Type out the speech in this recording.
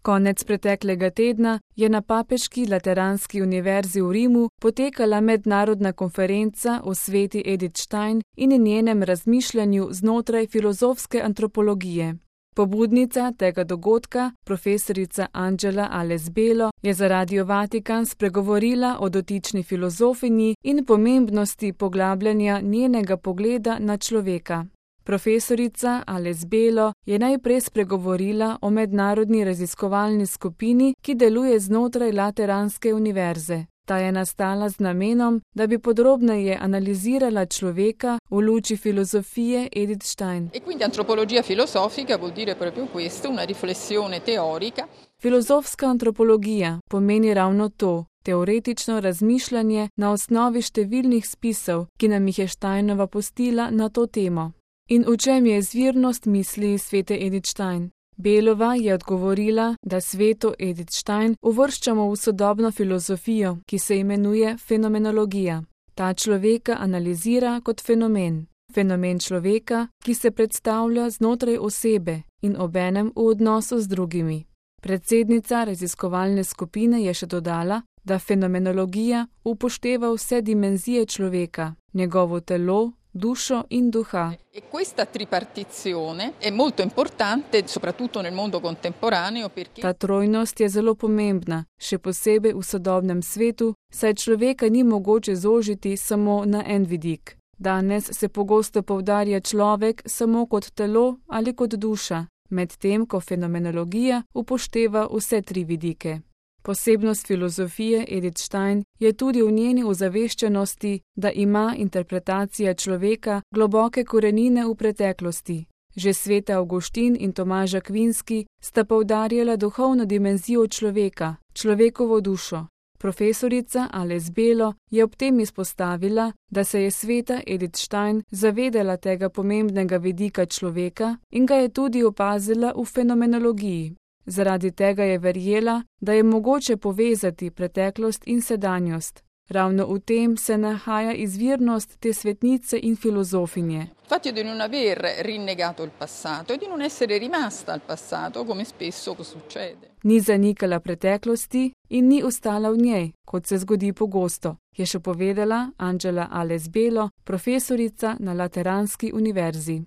Konec preteklega tedna je na Papeški lateranski univerzi v Rimu potekala mednarodna konferenca o sveti Edith Stein in njenem razmišljanju znotraj filozofske antropologije. Pobudnica tega dogodka, profesorica Angela Alesbelo, je za Radio Vatikan spregovorila o dotični filozofinji in pomembnosti poglabljanja njenega pogleda na človeka. Profesorica Alesbelo je najprej spregovorila o mednarodni raziskovalni skupini, ki deluje znotraj Lateranske univerze. Ta je nastala z namenom, da bi podrobneje analizirala človeka v luči filozofije Edith Stein. Filozofska antropologija pomeni ravno to, teoretično razmišljanje na osnovi številnih spisov, ki nam jih je Steinova pustila na to temo. In v čem je izvirnost misli svete Edith Stein? Belova je odgovorila, da sveto Edith Stein uvrščamo v sodobno filozofijo, ki se imenuje fenomenologija. Ta človeka analizira kot fenomen. Fenomen človeka, ki se predstavlja znotraj osebe in obenem v odnosu z drugimi. Predsednica raziskovalne skupine je še dodala, da fenomenologija upošteva vse dimenzije človeka, njegovo telo, dušo in duha. Ta trojnost je zelo pomembna, še posebej v sodobnem svetu, saj človeka ni mogoče zožiti samo na en vidik. Danes se pogosto poudarja človek samo kot telo ali kot duša, medtem ko fenomenologija upošteva vse tri vidike. Posebnost filozofije Edith Stein je tudi v njeni ozaveščenosti, da ima interpretacija človeka globoke korenine v preteklosti. Že sveta Avguštin in Tomaž Akvinski sta poudarjala duhovno dimenzijo človeka, človekovo dušo. Profesorica Alesbelo je ob tem izpostavila, da se je sveta Edith Stein zavedala tega pomembnega vidika človeka in ga je tudi opazila v fenomenologiji. Zaradi tega je verjela, da je mogoče povezati preteklost in sedanjost. Ravno v tem se nahaja izvirnost te svetnice in filozofinje. Ni zanikala preteklosti in ni ostala v njej, kot se zgodi pogosto, je še povedala Angela Alesbelo, profesorica na Lateranski univerzi.